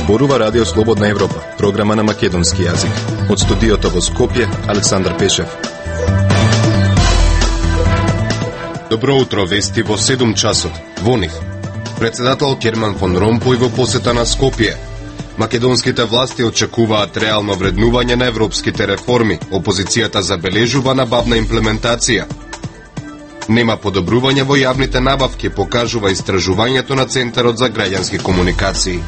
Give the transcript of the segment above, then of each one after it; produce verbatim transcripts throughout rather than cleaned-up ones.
Зборува Радио Слободна Европа, програма на македонски јазик. Од студиото во Скопје, Александар Пешев. Добро утро, вести во седум часот. Во нив председател Херман фон Ромпој во посета на Скопје. Македонските власти очекуваат реално вреднување на европските реформи. Опозицијата забележува набавна имплементација. Нема подобрување во јавните набавки, покажува истражувањето на Центарот за граѓански комуникации.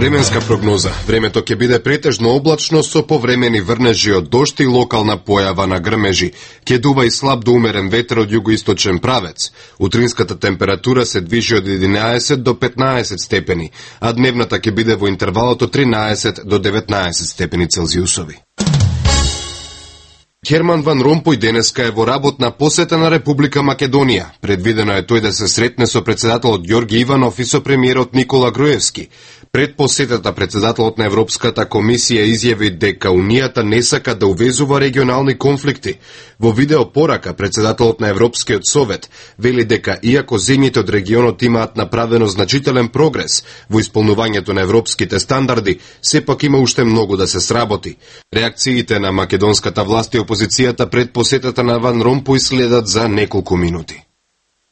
Временска прогноза. Времето ќе биде претежно облачно со повремени врнежи од дожд и локална појава на грмежи. Ќе дува и слаб до умерен ветер од југоисточен правец. Утринската температура се движи од единаесет до петнаесет степени, а дневната ќе биде во интервалот од тринаесет до деветнаесет степени Целзиусови. Херман ван Ромпој денеска е во работна посета на Република Македонија. Предвидено е тој да се сретне со председателот Ѓорги Иванов и со премиерот Никола Груевски. Пред посетата председателот на Европската комисија изјави дека Унијата не сака да увезува регионални конфликти. Во видео порака председателот на Европскиот совет вели дека иако земјите од регионот имаат направено значителен прогрес во исполнувањето на европските стандарди, сепак има уште многу да се сработи. Реакциите на македонската власт и опозицијата пред посетата на Ван Ромпој следат за неколку минути.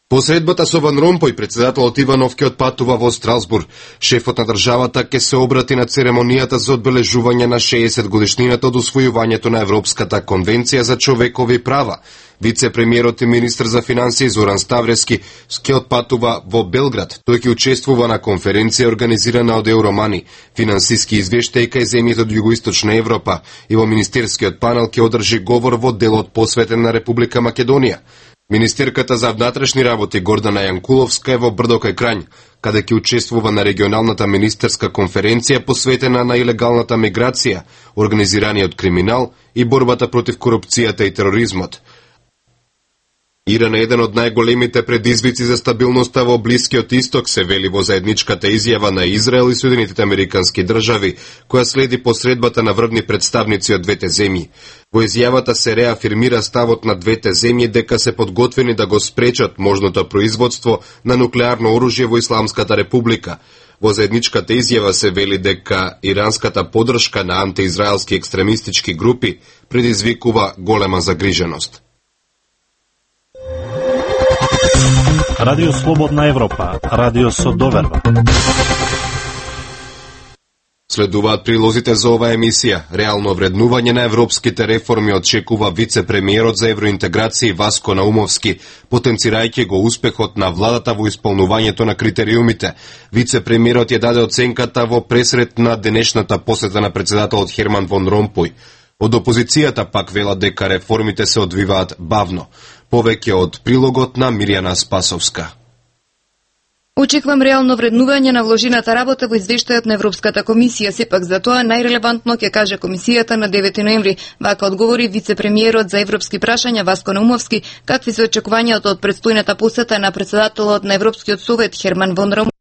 По средбата со Ван Ромпој, председателот Иванов ќе отпатува во Страсбург. Шефот на државата ќе се обрати на церемонијата за одбележување на шеесет годишнината од усвојувањето на Европската конвенција за човекови права. Вице-премиерот и министр за финансии Зоран Ставрески ќе отпатува во Белград. Тој ќе учествува на конференција организирана од Евромани, финансиски извештаи кај земјите од југоисточна Европа, и во министерскиот панел ќе одржи говор во делот посветен на Република Македонија. Министерката за внатрешни работи Гордана Јанкуловска е во Брдо кај Крањ, каде ќе учествува на регионалната министерска конференција посветена на илегалната миграција, организираниот криминал и борбата против корупцијата и тероризмот. Иран е еден од најголемите предизвици за стабилноста во Блискиот Исток, се вели во заедничката изјава на Израел и Соединетите Американски држави, која следи посредбата на врвни представници од двете земји. Во изјавата се реафирмира ставот на двете земји дека се подготвени да го спречат можното производство на нуклеарно оружје во Исламската република. Во заедничката изјава се вели дека иранската поддршка на антиизраелски екстремистички групи предизвикува голема загриженост. Радио Слободна Европа, радио со доверба. Следуваат прилозите за оваа емисија. Реално вреднување на европските реформи очекува вице-премиерот за евроинтеграција Васко Наумовски, потенцирајќи го успехот на владата во исполнувањето на критериумите. Вице-премиерот ја даде оценката во пресрет на денешната посета на председателот Херман фон Ромпој. Од опозицијата пак велат дека реформите се одвиваат бавно. Повеќе од прилогот на Мирјана Спасовска. Очекувам реално вреднување на вложената работа во извештајот на Европската комисија, сепак за тоа најрелевантно ќе каже комисијата на девети ноември. Вака одговори вице-премиерот за европски прашања Васко Наумовски, какви се очекувањата од предстојната посета на председателот на Европскиот совет Херман фон Ромпој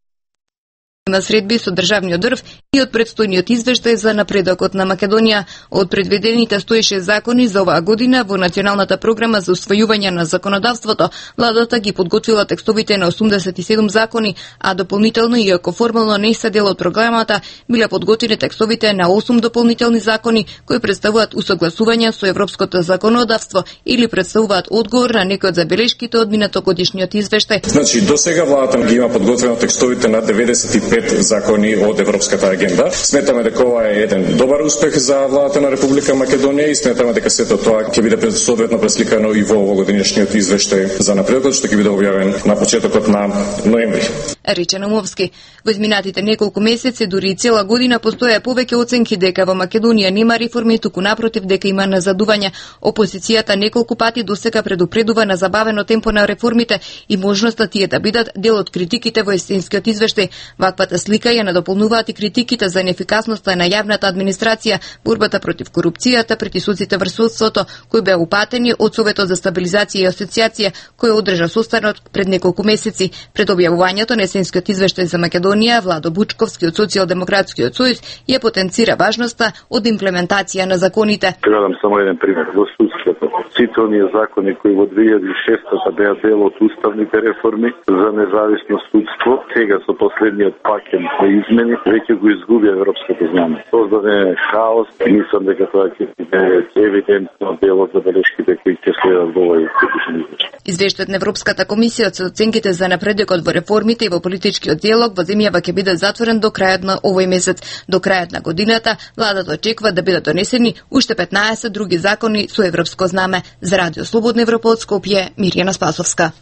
на средби со државниот дрв и од предстојниот извештај за напредокот на Македонија. Од предвидените сто и шест закони за оваа година во Националната програма за усвојување на законодавството, владата ги подготвила текстовите на осумдесет и седум закони, а дополнително, иако формално не се дел од програмата, биле подготвени текстовите на осум дополнителни закони кои представуваат усогласување со европското законодавство или представуваат одговор на некои од забелешките од минатогодишниот извештај. Значи, до сега владата ги има подготвено текстовите на деветдесет и пет закони од европската агенда. Сметаме дека ова е еден добар успех за владата на Република Македонија и сметаме дека сето тоа ќе биде соодветно пресликано и во овогодишниот извештај за напредокот, што ќе биде објавен на почетокот на ноември. Рече Наумовски. Во изминатите неколку месеци, дури и цела година, постоја повеќе оценки дека во Македонија нема реформи, туку напротив дека има назадување. Опозицијата неколку пати досега предупредува на забавено темпо на реформите и можноста тие да бидат дел од критиките во есенскиот извештај. Ваквата слика ја надополнуваат и критиките за неефикасноста на јавната администрација, борбата против корупцијата, притисоците врз судството, кои беа упатени од Советот за стабилизација и асоциација, кој одржа состанок пред неколку месеци. Пред објавувањето на Месенскиот извештај за Македонија, Владо Бучковски од Социјалдемократскиот сојуз ја потенцира важноста од имплементација на законите. Гледам само еден пример во судството. Сите оние закони кои во две илјади и шеста беа дел од уставните реформи за независно судство, сега со последниот пакет на измени веќе го изгубија европското знание. Создаде хаос, мислам дека тоа ќе биде евидентно дел од забелешките кои ќе следат во овој критичен извештај. Извештајот на Европската комисија со оценките за напредокот во реформите и во политичкиот диалог во земјава ќе биде затворен до крајот на овој месец. До крајот на годината владата очекува да бидат донесени уште петнаесет други закони со европско знаме. За Радио Слободна Европа од Скопје, Мирјана Спасовска.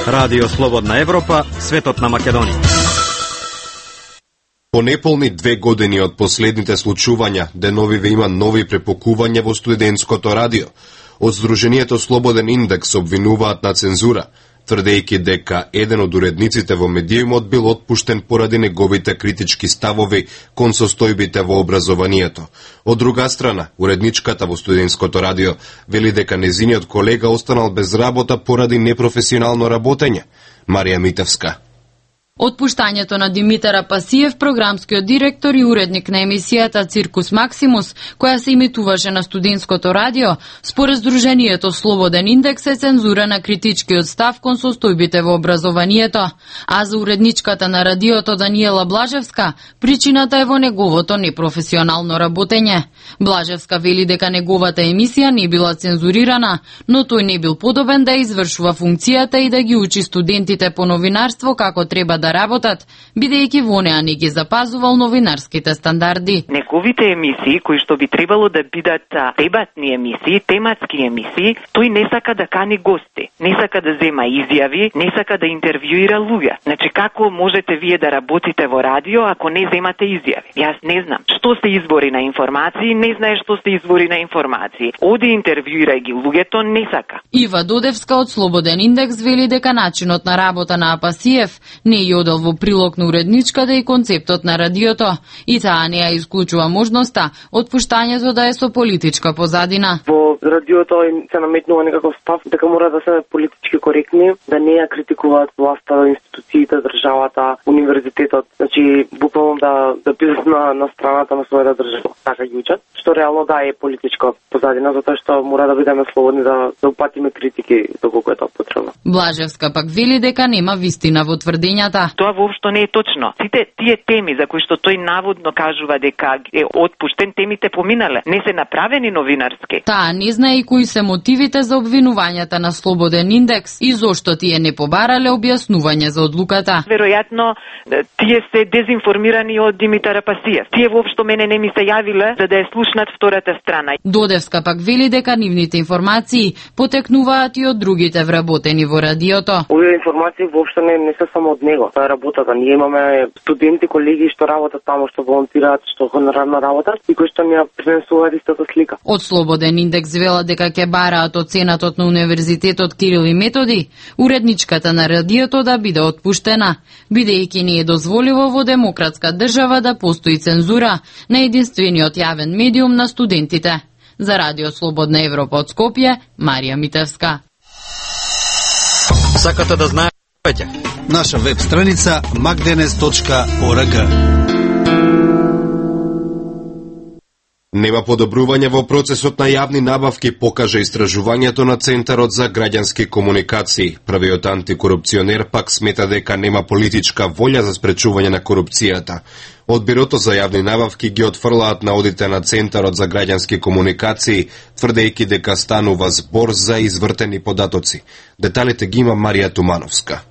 Радио Слободна Европа, светот на Македонија. По неполни две години од последните случувања, деновиве има нови препокувања во студентското радио. Од Сдруженијето Слободен индекс обвинуваат на цензура, тврдејќи дека еден од уредниците во медиумот бил отпуштен поради неговите критички ставови кон состојбите во образованието. Од друга страна, уредничката во студентското радио вели дека незиниот колега останал без работа поради непрофесионално работење. Марија Митевска. Отпуштањето на Димитар Апасиев, програмскиот директор и уредник на емисијата Циркус Максимус, која се имитуваше на студентското радио, според Сдруженијето Слободен индекс е цензура на критичкиот став кон состојбите во образованието, а за уредничката на радиото Даниела Блажевска, причината е во неговото непрофесионално работење. Блажевска вели дека неговата емисија не била цензурирана, но тој не бил подобен да извршува функцијата и да ги учи студентите по новинарство како треба да работат, бидејќи во неа не ги запазувал новинарските стандарди. Неговите емисии, кои што би требало да бидат дебатни емисии, тематски емисии, тој не сака да кани гости, не сака да зема изјави, не сака да интервјуира луѓе. Значи, како можете вие да работите во радио ако не земате изјави? Јас не знам. Што се избори на информации, не знае што се избори на информации. Оди интервјуирај ги луѓето, не сака. Ива Додевска од Слободен индекс вели дека начинот на работа на Апасиев не ја одел во прилог на уредничката и концептот на радиото, и таа не ја исклучува можноста отпуштањето да е со политичка позадина. Во радиото се наметнува некаков став дека мора да се политички коректни, да не ја критикуваат власта, институциите, државата, универзитетот, значи буквално да да бидат на на страната на својата држава, така ги учат, што реално да е политичка позадина, затоа што мора да бидеме слободни да да упатиме критики доколку е тоа потребно. Блажевска пак вели дека нема вистина во тврдењата. Тоа воопшто не е точно. Сите тие теми за кои што тој наводно кажува дека е отпуштен, темите поминале, не се направени новинарски. Таа не знае и кои се мотивите за обвинувањата на Слободен индекс и зошто тие не побарале објаснување за одлуката. Веројатно тие се дезинформирани од Димитар Апасиев. Тие воопшто мене не ми се јавиле за да ја слушнат втората страна. Додевска пак вели дека нивните информации потекнуваат и од другите вработени во радиото. Овие информации воопшто не не се само од него. Тоа е работата. Ние имаме студенти, колеги што работат таму, што волонтираат, што хонорарно работат и кои што ни ја пренесуваат истата слика. Од Слободен индекс вела дека ќе бараат оценатот на Универзитетот Кирил и Методи, уредничката на радиото да биде отпуштена, бидејќи не е дозволиво во демократска држава да постои цензура на единствениот јавен медиум на студентите. За Радио Слободна Европа од Скопје, Марија Митевска. Сакате да знаете? Наша веб страница макденес точка орг. Нема подобрување во процесот на јавни набавки, покажа истражувањето на Центарот за граѓански комуникации. Првиот антикорупционер пак смета дека нема политичка волја за спречување на корупцијата. Од Бирото за јавни набавки ги отфрлаат наодите на Центарот за граѓански комуникации, тврдејќи дека станува збор за извртени податоци. Деталите ги има Марија Тумановска.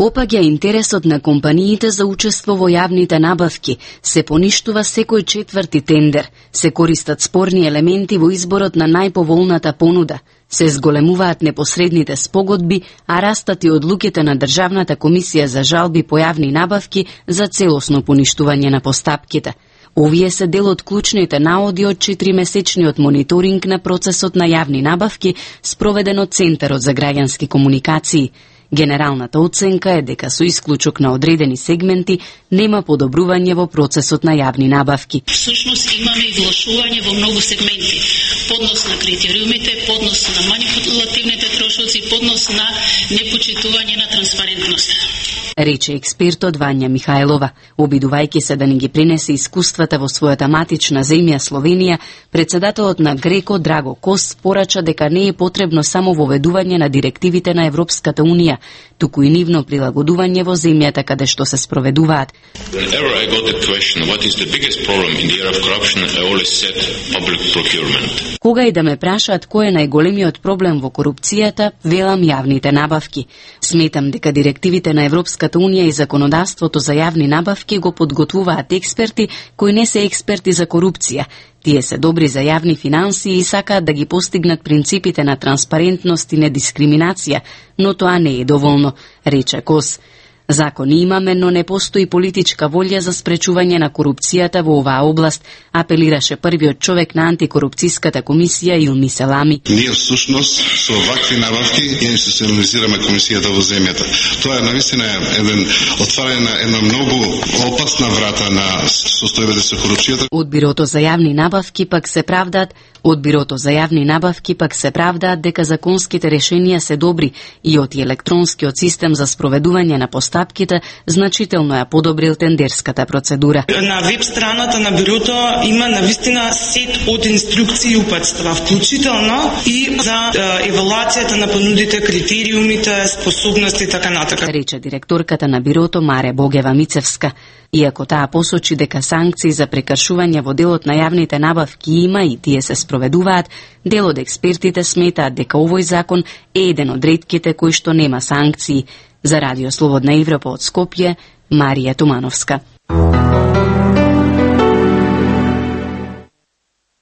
Опаѓа интересот на компаниите за учество во јавните набавки, се поништува секој четврти тендер, се користат спорни елементи во изборот на најповолната понуда, се зголемуваат непосредните спогодби, а растат и одлуките на Државната комисија за жалби по јавни набавки за целосно поништување на постапките. Овие се дел од клучните наоди од четиримесечниот мониторинг на процесот на јавни набавки спроведен од Центарот за граѓански комуникации. Генералната оценка е дека со исклучок на одредени сегменти нема подобрување во процесот на јавни набавки. Всушност имаме и влошување во многу сегменти. Поднос на критериумите, поднос на манипулативните трошоци, поднос на непочитување на транспарентност. Рече експертот Вања Михајлова, обидувајќи се да ни ги принесе искуствата во својата матична земја Словенија, председателот на Греко Драго Кос порача дека не е потребно само воведување на директивите на Европската унија, туку и нивно прилагодување во земјата каде што се спроведуваат. Кога и да ме прашаат кој е најголемиот проблем во корупцијата, велам јавните набавки. Сметам дека директивите на Европската унија и законодавството за јавни набавки го подготвуваат експерти кои не се експерти за корупција. Тие се добри за јавни финанси и сакаат да ги постигнат принципите на транспарентност и недискриминација, но тоа не е доволно, рече Кос. Закони имаме, но не постои политичка волја за спречување на корупцијата во оваа област, апелираше првиот човек на антикорупцијската комисија Илми Селами. Ние всушност со вакви набавки институционализираме комисијата во земјата. Тоа е навистина еден отварање на една многу опасна врата на состојбата со корупцијата. Од бирото за јавни набавки пак се правдаат Од бирото за јавни набавки пак се правдаат дека законските решенија се добри и од електронскиот систем за спроведување на постапките значително ја подобрил тендерската процедура. На веб страната на бирото има навистина сет од инструкции и упатства, вклучително и за евалуацијата на понудите, критериумите, способности и така натака. Рече директорката на бирото Маре Богева Мицевска. Иако таа посочи дека санкции за прекршување во делот на јавните набавки има и тие се спроведуваат, дел од експертите сметаат дека овој закон е еден од ретките кои што нема санкции. За Радио Слободна Европа од Скопје, Марија Тумановска.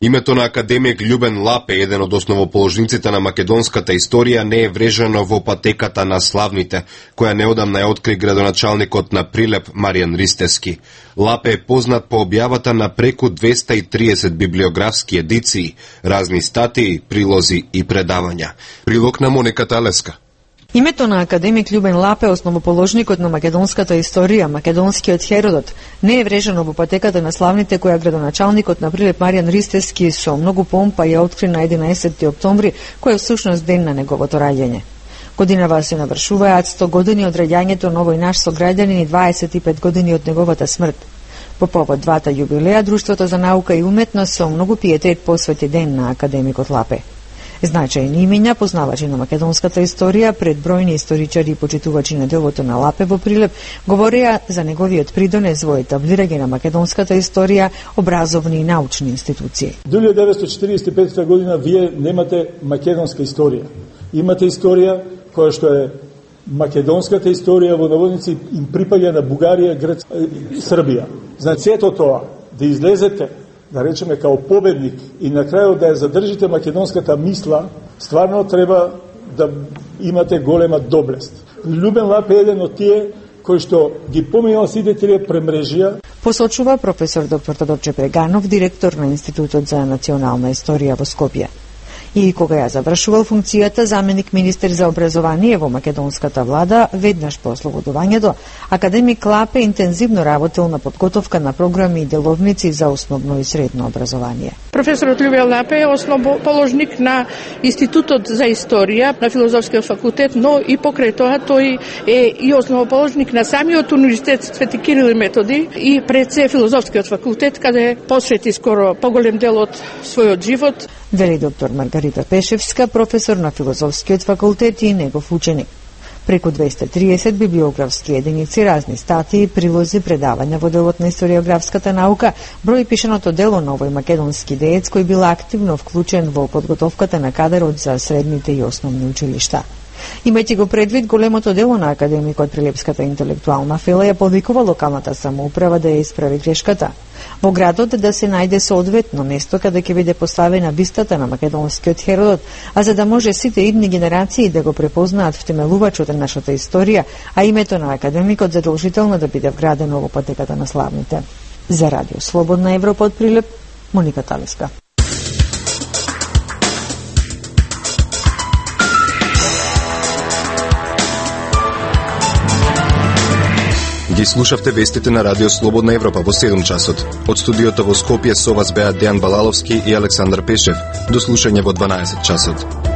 Името на академик Љубен Лапе, еден од основоположниците на македонската историја, не е врежено во патеката на славните, која неодамна ја откри градоначалникот на Прилеп Маријан Ристевски. Лапе е познат по објавата на преку двеста и триесет библиографски едиции, разни статии, прилози и предавања. Прилог на Моника Талеска. Името на академик Љубен Лапе, основоположникот на македонската историја, македонскиот Херодот, не е врежено во патеката на славните која градоначалникот на Прилеп Маријан Ристевски со многу помпа ја откри на единаесетти октомври, кој е всушност ден на неговото раѓање. Годинава се навршуваат сто години од раѓањето на овој наш сограѓанин и дваесет и пет години од неговата смрт. По повод двата јубилеа, Друштвото за наука и уметност со многу пиетет посвети ден на академикот Лапе. Значајни имиња, познавачи на македонската историја, пред бројни историчари и почитувачи на делото на Лапе во Прилеп, говореа за неговиот придонес во етаблирање на македонската историја, образовни и научни институции. дујле деветстотини четиридесет и петта година вие немате македонска историја. Имате историја која што е македонската историја, во наводници им припаѓа на Бугарија, Грцка, Србија. Значи, сето тоа, да излезете, да речеме, као победник и на крајот да ја задржите македонската мисла, стварно треба да имате голема доблест. Љубен Лапе е еден од тие кои што ги поминал сите тие премрежија. Посочува професор доктор Тодорче Преганов, директор на Институтот за национална историја во Скопје. И кога ја завршувал функцијата заменик министер за образование во македонската влада, веднаш по ослободувањето, академик Лапе интензивно работел на подготовка на програми и деловници за основно и средно образование. Професорот Љубен Лапе е основоположник на Институтот за историја на Филозофскиот факултет, но и покрај тоа тој е и основоположник на самиот универзитет Свети Кирил и Методи и пред се Филозофскиот факултет, каде посвети скоро поголем дел од својот живот. Вели доктор Маргарита Пешевска, професор на Филозофскиот факултет и негов ученик. Преку двеста и триесет библиографски единици, разни статии, прилози, предавања во делот на историографската наука, брои пишаното дело на овој македонски деец кој бил активно вклучен во подготовката на кадарот за средните и основни училишта. Имајќи го предвид големото дело на академикот, Прилепската интелектуална фела ја повикува локалната самоуправа да ја исправи грешката. Во градот да се најде соодветно место каде ќе биде поставена бистата на македонскиот Херодот, а за да може сите идни генерации да го препознаат втемелувачот на нашата историја, а името на академикот задолжително да биде вградено во патеката на славните. За Радио Слободна Европа од Прилеп, Моника Талеска. Ги слушавте вестите на Радио Слободна Европа во седум часот. Од студиото во Скопје со вас беа Дејан Балаловски и Александар Пешев. До слушање во дванаесет часот.